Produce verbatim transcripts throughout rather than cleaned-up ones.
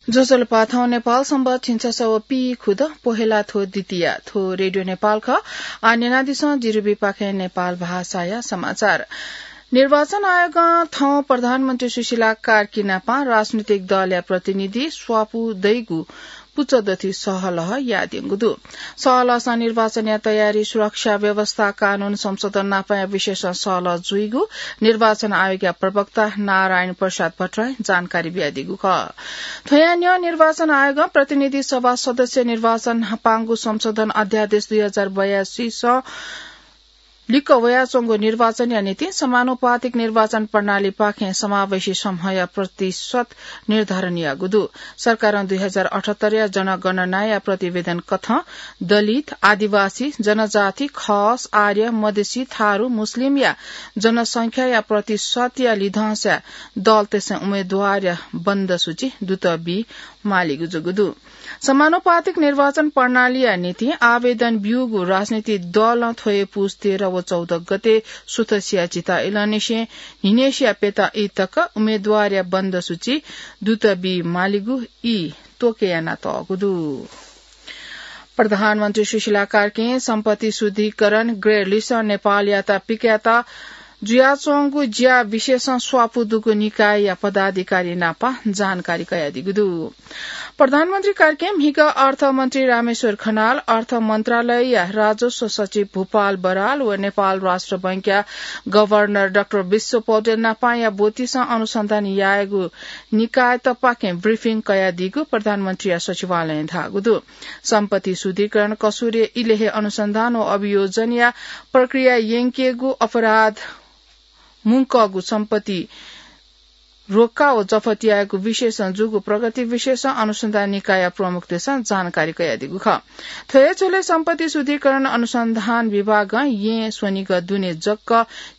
ज्वजलपा, थौं नेपाल संवत् झिंछसः व पीखुद पोहेला थ्व द्वितीया। थ्व रेडियो नेपाल खः। आः न्यनादिसँ जिरुबीपाखें नेपाल भाषाया समाचार। निर्वाचन आयोगं थौं प्रधानमन्त्री सुशीला कार्की नापं राजनीतिक दलया प्रतिनिधि स्वापू दइगु पुचः दथुइ सहलह यायेत्यंगु दु। सहलहसं निर्वाचनया तयारी, सुरक्षा व्यवस्था, कानून संशोधन नापंया विषयसं सहलह जुइगु निर्वाचन आयोगया प्रवक्ता नारायण प्रसाद भट्टराईं जानकारी बियादीगु खः। थ्वया न्ह्यः निर्वाचन आयोगं प्रतिनिधि सभा सदस्य निर्वाचन पांगु संशोधन अध्यादेश दुई हजार बयासीसं लिक्क वयाच्वंगु निर्वाचनया निंतिं समानुपातिक निर्वाचन प्रणालीपाखें समावेशी समूहया प्रतिशत निर्धारण याःगु दु। सरकारं दुई हजार अठहत्तरया जनगणनाया प्रतिवेदन कथं दलित, आदिवासी, जनजाति, खस, आर्य, मधेसी, थारु, मुस्लिमया जनसंख्याया प्रतिशतया लिधंसा दलतय्सं उम्मेदवारया बन्द सूची दुत बी मालीगु जूगु दु। समानुपातिक निर्वाचन प्रणालीया निंतिं आवेदन ब्यूगु राजनीतिक दलं थ्व हे पुस तेह्र व चौध गते सुथसिया झिता इलंनिसें न्हिनेसिया प्यता ई तक उम्मेदवारया बन्द सूची दुत बी मालीगु ई त्वःके यानातःगु दु। प्रधानमन्त्री सुशीला कार्कीं सम्पत्ति शुद्धिकरण ग्रे लिसं नेपालयात पिकायेत जुयाच्वंगु ज्या विषयसं स्वापू दुगु निकायया पदाधिकारी नाप जानकारी कयादीगु दु। प्रधानमन्त्री कार्कीं म्हिगः अर्थमन्त्री रामेश्वर खनाल, अर्थ मन्त्रालयया राजस्व सचिव भूपाल बराल व नेपाल राष्ट्र बैंकया गभर्नर डाक्टर विश्व पौडेल नापंया ब्वतिसं अनुसन्धान यायेगु निकायतपाखें ब्रिफिङ कयादीगु प्रधानमन्त्रीया सचिवालयं धाःगु दु। सम्पत्ति शुद्धिकरण कसुरय् इलेहे अनुसन्धान व अभियोजनया प्रक्रिया यंकेगु, अपराध मुंकःगु सम्पत्ति रोक्का व जफत यायेगु विषयसं जूगु प्रगति विषयसं अनुसन्धान निकाय प्रमुखतय्सं जानकारी कयादीगु खः। थ्व हे झ्वलय् सम्पत्ति शुद्धिकरण अनुसन्धान विभागं येँ स्वनिगः दुने जक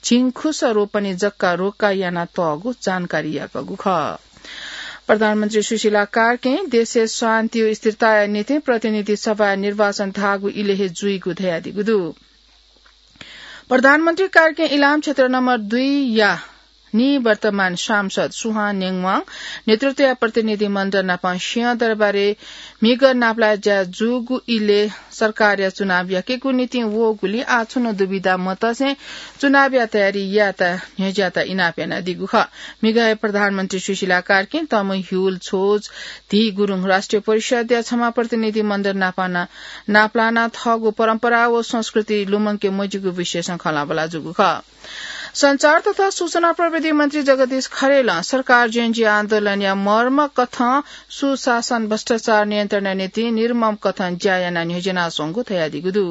झिंखुस रोपनी जक रोक्का यानातःगु जानकारी याकःगु खः। प्रधानमन्त्री सुशीला कार्कीं देशय् शान्ति व स्थिरताया निंतिं प्रतिनिधि सभा निर्वाचन धाःगु इलेहे जुइगु धयादीगु दु। प्रधानमन्त्री कार्कीं इलाम क्षेत्र नम्बर दुईया निवर्तमान सांसद सुहान नेङवाङ नेतृत्वया प्रतिनिधि मण्डल नाप सिंहदरबारय् म्हिगः नापलाये ज्या जूगु इलय् सरकारया चुनाव याकेगु निंतिं वःगुलिं आः छुं नं दुविधा मतसें चुनावया तयारी यायेत न्ह्यज्यात इनाप यानादीगु खः। म्हिगः हे प्रधानमन्त्री सुशीला कार्कीं तमु ह्युल छोज धी गुरुङ राष्ट्रिय परिषद्या छम्ह प्रतिनिधि मण्डल नापं नापलानाः थःगु परम्परा व संस्कृति लुमंके मज्यूगु विषयसं खँल्हाबल्हा जूगु खः। सञ्चार तथा सूचना प्रविधि मन्त्री जगदीश खरेलं सरकार जेनजी आन्दोलनया मर्म कथं सुशासन, भ्रष्टाचार नियन्त्रणया निंतिं निर्मम कथं ज्या यानाः न्ह्यज्यानाच्वंगु धयादीगु दु।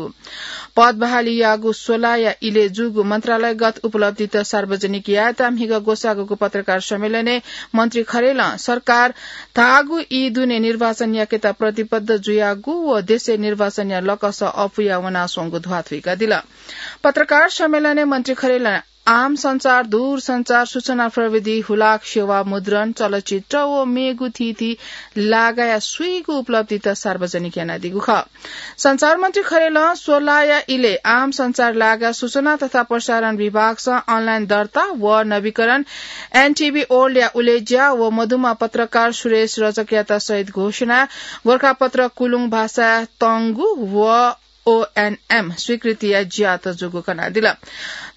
पद बहालीयागु स्वलाया इलय् जूगु मन्त्रालयगत उपलब्धित सार्वजनिक यायेत म्हिगः ग्वसाःगु पत्रकार सम्मेलनय् मन्त्री खरेलं सरकार धाःगु ई दुने निर्वाचन याकेत प्रतिबद्ध जुयागु व देशय् निर्वाचनया लकस अःपुया वनाच्वंगु ध्वाथुइकादिल। पत्रकार सम्मेलनय् मन्त्री खरेलं आम सञ्चार, दूरसञ्चार, सूचना प्रविधि, हुलाक सेवा, मुद्रण, चलचित्र व मेगु थीथी लागाया स्वीगू उपलब्धित सार्वजनिक यानादीगु खः। सञ्चार मन्त्री खरेलं स्वलाया इलय् आम सञ्चार लागा सूचना तथा प्रसारण विभागसं अनलाइन दर्ता व नवीकरण, एनटिभी ओल्डया उलेज्या व मदुम्ह पत्रकार सुरेश रजकयात शहीद घोषणा, गोरखापत्र कुलुङ भाषा तंगु व ओएनएम स्वीकृतिया ज्यात जूगु कनादिल।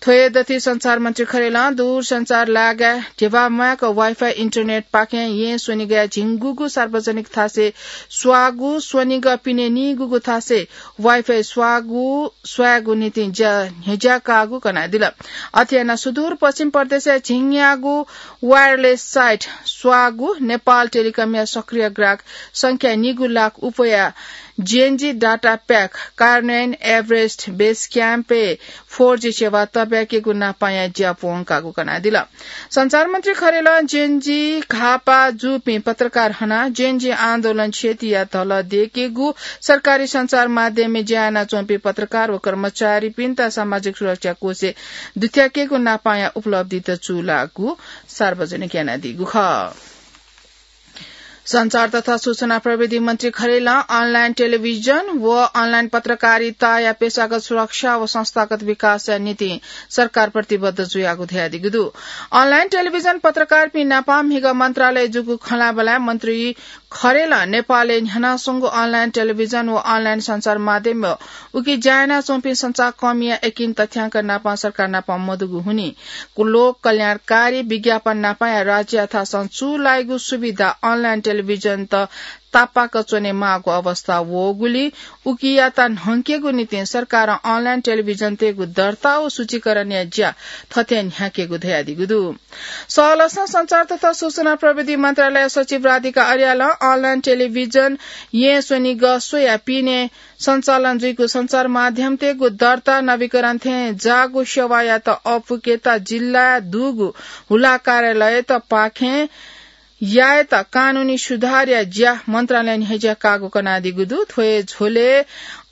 थ्व हे दथुइ सञ्चार मन्त्री खरेलं दूरसञ्चार लागा ध्यबा म्वाय्क वाइफाई इन्टरनेटपाखें येँ स्वनिगःया झिंगुगु सार्वजनिक थासय् स्वाःगु, स्वनिगः पिने नीगूगु थासय् वाइफाई स्वाःगु, स्वायेगु निंतिं ज्या न्ह्यज्याकाःगु कनादिल। अथे यानाः सुदूर पश्चिम प्रदेशय् झिंन्यागू वायरलेस साइट स्वाःगु, नेपाल टेलिकमया सक्रिय ग्राहक संख्या नीगू लाख उपया जेएनजी डाटा प्याक, कार्नेन, एभरेस्ट, बेस क्याम्पय् फोर जी सेवा तब्याकेगु नापांया ज्या प्वंकागु कनादिल। सञ्चार मन्त्री खरेलं जेएनजी घाःपाः जूपिं पत्रकार हनाः जेएनजी आन्दोलन क्षतिया धलः दयेकेगु, सरकारी सञ्चार माध्यमय् ज्या यानाच्वंपिं पत्रकार व कर्मचारीपिन्त सामाजिक सुरक्षा कोषय् दुथ्याकेगु नापांया उपलब्धित चूलाःगु सार्वजनिक यानादीगु खः। सञ्चार तथा सूचना प्रविधि मन्त्री खरेलं अनलाइन टेलिभिजन व अनलाइन पत्रकारिताया पेशागत सुरक्षा व संस्थागत विकासया निंतिं सरकार प्रतिबद्ध जुयागु धयादीगु दु। अनलाइन टेलिभिजन पत्रकारपिं नाप म्हिगः मन्त्रालयय् जूगु खँल्हाबल्हाय् मन्त्री खरेलं नेपालय् न्ह्यानाच्वंगु online television व online सञ्चार माध्यमय् उकी ज्या यानाच्वंपिं सञ्चारकर्मीया यकिन तथ्याङ्क नापं सरकार नापं मदुगु हुनिं लोक कल्याणकारी विज्ञापन नापंया राज्यया थासं चूलाइगु सुविधा online television त तापाक च्वने माःगु अवस्था वःगुलिं उकियात न्हंकेगु निंतिं सरकारं online television तय्गु दर्ता व सूचीकरणया ज्या थथे न्ह्याकेगु धयादीगु दु। सहलसं सञ्चार तथा सूचना प्रविधि मन्त्रालय सचिव राधिका अर्यालं online television येँ स्वनिगः स्वया पिने सञ्चालन जुइगु सञ्चार माध्यमतय्गु दर्ता नवीकरण थें जाःगु सेवायात अःपुकेत जिल्लाय् दुगु हुला कार्यालयत पाखें यायेत कानूनी सुधारया ज्या मन्त्रालयं न्ह्यज्या काःगु कनादीगु दु। थ्व हे झ्वलय्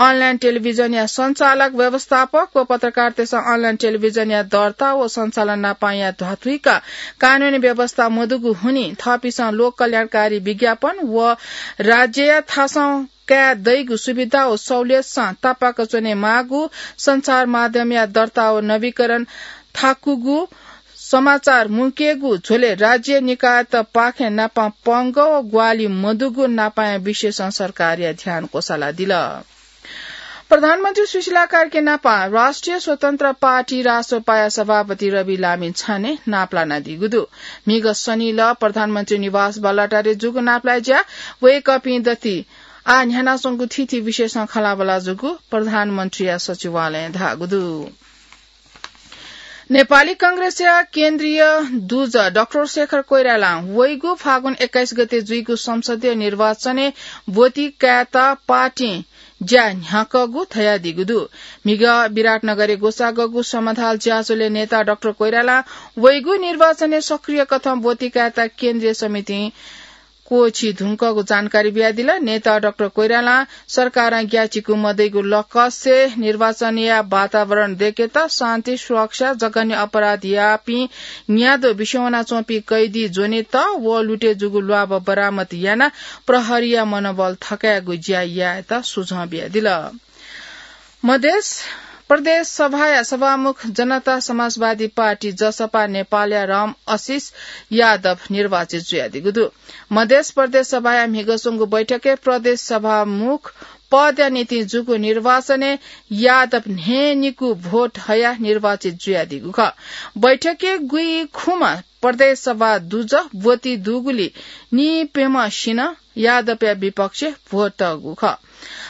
online television या सञ्चालक, व्यवस्थापक व पत्रकारतय्सं online television या दर्ता व सञ्चालन नापंया ध्वाथुइका कानूनी व्यवस्था मदुगु हुनिं थःपिन्सं लोक कल्याणकारी विज्ञापन व राज्यया थासं काये दइगु सुविधा व सहुलियतसं तापाक च्वने माःगु सञ्चार माध्यमया दर्ता व नवीकरण थाकुगु समाचार मुंकेगु झ्वलय् राज्य निकायत पाखें नापं पंगः व ग्वाहालि मदुगु नापंया विषयसं सरकारया ध्यान क्वसालादिल। प्रधानमन्त्री सुशीला कार्की नापं राष्ट्रिय स्वतन्त्र पार्टी, रासोपाया सभापति रवि लामिछाने नापलानादीगु दु। म्हिगः शनिलः प्रधानमन्त्री निवास बालुवाटारय् जूगु नापलाये ज्या वय्कःपिं दथुइ आः न्ह्यानाच्वंगु थीथी विषयसं खँल्हाबल्हा जूगु प्रधानमन्त्रीया सचिवालयं धाःगु दु। नेपाली कांग्रेसया केन्द्रीय दुजः डाक्टर शेखर कोइरालां वइगु फागुन एक्काइस गते जुइगु संसदीय निर्वाचनय् ब्वति कायेत पार्टीं ज्या न्ह्याकःगु धयादीगु दु। म्हिगः विराटनगरय् ग्वसाःगु समथाल ज्याझ्वलय् नेता डाक्टर कोइरालां वइगु निर्वाचनय् सक्रिय कथं ब्वति कायेत केन्द्रीय समितिं क्वःछी धुंकःगु जानकारी बियादिल। नेता डाक्टर कोइरालां सरकारं ग्याःचिकु मदइगु लकसय् निर्वाचनया वातावरण दय्केत शान्ति सुरक्षा, जघन्य अपराध याःपिं न्याद्वः बिस्युं वनाच्वंपिं कैदी ज्वनेत व लुटे जूगु ल्वाभः बरामद यानाः प्रहरीया मनोबल थकायेगु ज्या यायेत सुझाव बियादिल। मधेस प्रदेश सभाया सभामुख जनता समाजवादी पार्टी, जसपा नेपालया राम आशिष यादव निर्वाचित जुयादीगु दु। मधेस प्रदेश सभाया म्हिगः स्वंगु बैठकय् प्रदेश सभामुख पदया निंतिं जूगु निर्वाचनय् यादव न्हय्निकू भोट हयाः निर्वाचित जुयादीगु खः। बैठकय् गुइखुम्ह प्रदेश सभा दुजः ब्वति दुगुलिं निइप्यम्हसिनं यादवया विपक्षय् भोट तःगु खः।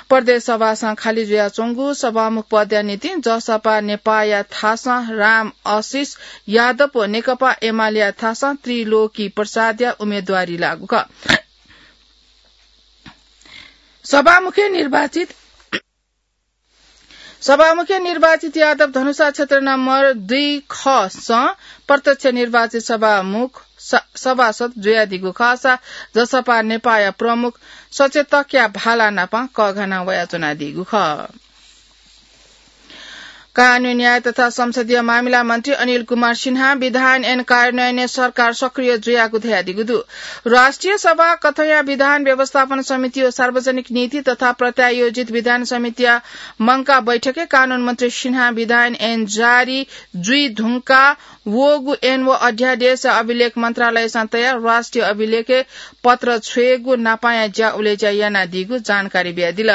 प्रदेश सभासं खालि जुयाच्वंगु सभामुख पदया निंतिं जसपा नेपालया थासं राम आशिष यादव व नेकपा एमालेया थासं त्रिलोकी प्रसादया उम्मेदवारी लाःगु खः। सभामुखे निर्वाचित सभामुखे निर्वाचित यादव धनुषा क्षेत्र नम्बर दुई ख सं प्रत्यक्ष निर्वाचित सभामुख स-, सभासद जुयादीगु खःसा जसपा नेपाःया प्रमुख सचेतकया भाला नाप कःघाना वयाच्वनादीगु खः। कानून न्याय तथा संसदीय मामिला मन्त्री अनिल कुमार सिन्हां विधान ऐन कार्यान्वयनय् सरकार सक्रिय जुयागु धयादीगु दु। राष्ट्रिय सभा कथंया विधान व्यवस्थापन समिति व सार्वजनिक नीति तथा प्रत्यायोजित विधान समितिया मंकाः बैठकय् कानून मन्त्री सिन्हां विधान ऐन जारी जुइ धुंकाः वःगु ऐन व अध्यादेशया अभिलेख मन्त्रालयसं तयाः राष्ट्रिय अभिलेखय् पत्र छ्वयेगु नापांया ज्या उलेज्या यानादीगु जानकारी बियादिल।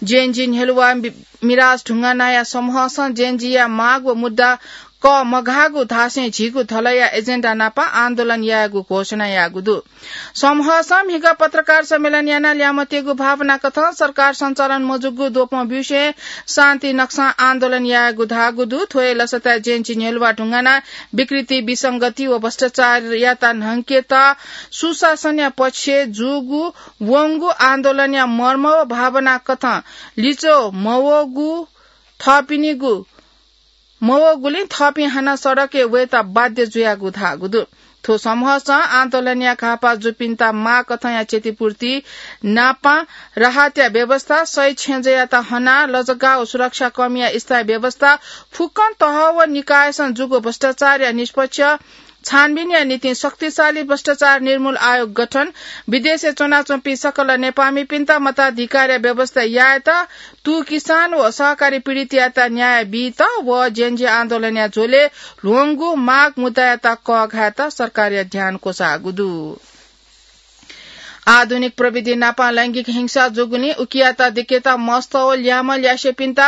जेएनजी न्ह्यलुवा मि-, मिराज ढुङ्गानाया समूहसं जेएनजीया माग व मुद्दा कःमघाःगु धासें झीगु धलया एजेन्डा नाप आन्दोलन यायेगु घोषणा याःगु दु। समूहसं म्हिगः पत्रकार सम्मेलन यानाः ल्यामत्येगु भावना कथं सरकार सञ्चालन मजूगु द्वपं ब्यूसें शान्ति नक्सां आन्दोलन यायेगु धाःगु दु। थ्व हे लसताय् जेएनजी न्ह्यलुवा ढुङ्गाना विकृति, विसंगति व भ्रष्टाचारयात न्हंकेत सुशासनया पक्षय् जूगु वंगु आन्दोलनया मर्म व भावना कथं लिच्वः मवःगु थःपिनिगु मवःगुलिं थःपिं हानं सडकय् वयेत बाध्य जुयागु धाःगु दु। थ्व समूहसं आन्दोलनया घाःपाः जूपिन्त माःकथंया क्षतिपूर्ति नापं राहतया व्यवस्था, शहीद छेँजःयात हनाः लजगाः व सुरक्षाकर्मीया स्थायी व्यवस्था, फुक्कं तह व निकायसं जूगु भ्रष्टाचारया निष्पक्ष छानबिनया निंतिं शक्तिशाली भ्रष्टाचार निर्मूल आयोग गठन, विदेशय् च्वनाच्वंपिं सकल नेपाःमिपिन्त मताधिकारया व्यवस्था यायेत तुं किसान व सहकारी पीडितयात न्याय बीत व जेएनजी आन्दोलनया झ्वलय् ल्ह्वंगु माग मुद्दायात कःघायेत सरकारया ध्यान क्वसाःगु दु। आधुनिक प्रविधि नापं लैंगिक हिंसा जूगुलिं उकियात दिकेत मस्त व ल्याय्म्ह ल्यासेपिन्त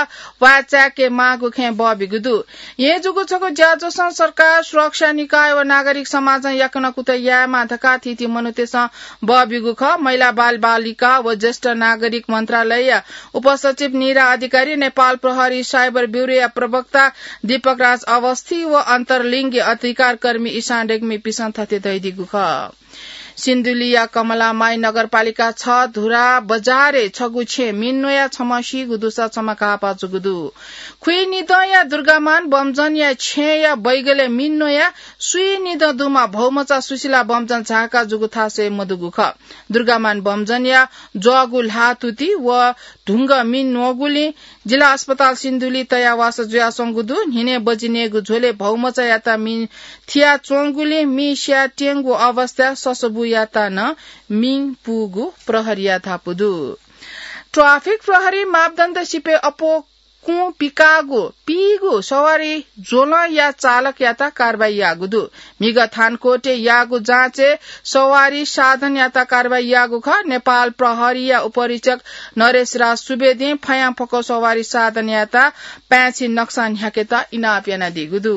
वाय् चाय्के माःगु खँय् बः बिगु दु। येँ जूगु छगू ज्याझ्वलं सरकार, सुरक्षा निकाय व नागरिक समाजं याकनं कुतः यायेमाः धकाः थीथी मनूतय्सं बः बिगु खः। महिला, बालबालिका व ज्येष्ठ नागरिक मन्त्रालयया उपसचिव निरा अधिकारी, नेपाल प्रहरी साइबर ब्युरोया प्रवक्ता दीपक राज अवस्थी व अन्तर्लिङ्गी अधिकारकर्मी इशान रेग्मीपिसं थथे धयादीगु खः। सिन्धुलीया कमलामाई नगरपालिका छ धुरा बजारय् छगू छेँय् मिन न्वयाः छम्ह सीगु दुसा छम्ह घाःपाः जूगु दु। खुइनिदँया दुर्गामान बमजनया छेँया बैगलय् मिन न्वयाः सुइनिदँ दुम्ह भौमचा सुशीला बमजन झाःका जूगु थासय् मदुगु खः। दुर्गामान बमजनया ज्वःगु ल्हाः तुति व धुंगः मिन न्वःगुलिं जिल्ला अस्पताल सिन्धुली तयाः वासः जुयाच्वंगु दु। न्हिनय् बजि नयेगु झ्वलय् भौमचायात मिं थियाच्वंगुलिं मिं स्याये त्यंगु अवस्थाय् ससबुयात नं मिं पूगु प्रहरीया धापू दु। ट्राफिक प्रहरी मापदण्ड सिपय् अप्वः कुँ पिकाःगु पीगु सवारी ज्वलंया चालकयात कारवाही याःगु दु। म्हिगः थानकोटय् याःगु जाँचय् सवारी साधनयात कारवाही याःगु खः। नेपाल प्रहरीया उपरीक्षक नरेश राज सुवेदीं फयांफक्व सवारी साधनयात पाय्छि नक्सा न्ह्याकेत इनाप यानादीगु दु।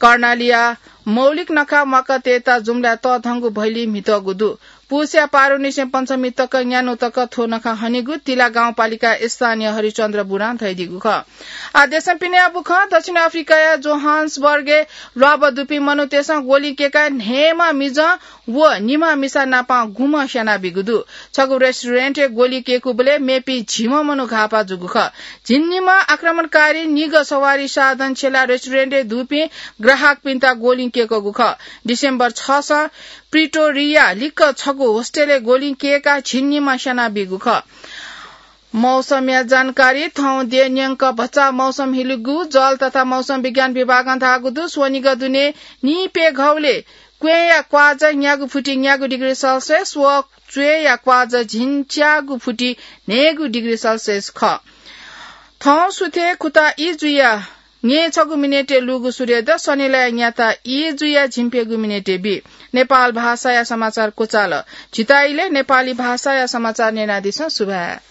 कर्णालीया मौलिक नखा म्वाकातय्त जुम्लाय् तःधंगु भैली म्हितःगु दु। पुसया पारुनिसें पञ्चमी तक न्यान्हु तक थ्व नखा हनीगु तिला गाउँपालिका स्थानीय हरिचन्द्र बुढां धयादीगु खः। आ, देशं पिने याःगु खँ। दक्षिण अफ्रिकाया जोहान्सबर्गय् ल्वाभः दुपिं मनूतय्सं ग्वलिं केकाः न्हय्म्ह मिजं व निम्ह मिसा नाप गुम्ह स्यानाबीगु दु। छगू रेस्टुरेन्टय् ग्वलिं केकूबलय् मेपिं झिम्ह मनू घाःपाः जूगु खः। झिंनिम्ह आक्रमणकारी निगः सवारी साधन छ्यलाः रेस्टुरेन्टय् दुपिं ग्राहकपिन्त ग्वलिं केकूगु खः। डिसेम्बर छसं प्रिटोरिया लिक्क छगू होस्टेलय् ग्वलिं केकाः झिंनिम्ह स्यानाबीगु खः। मौसमया जानकारी। थौं देय् न्यंक भचा मौसम हिलिगु जल तथा मौसम विज्ञान विभागं धाःगु दु। स्वनिगः दुने निइप्यघौलय् क्वँय्या क्वाःजा न्यागू फुति न्यागू डिग्री सेल्सियस व च्वय्या क्वाःजा झिंच्यागू फुति न्हय्गू डिग्री सेल्सियस खः। थौं सुथय् खुता ई जुयाः न्यय्छगू मिनेटय् लूगु सूर्योदय, सनिलया न्याता ई जुयाः झिंप्यघौ मिनेटय् बी। नेपाल भाषाया समाचार क्वचाल। झीत इलय् नेपाली भाषाया समाचार न्यनादिसँ। सुभाय्।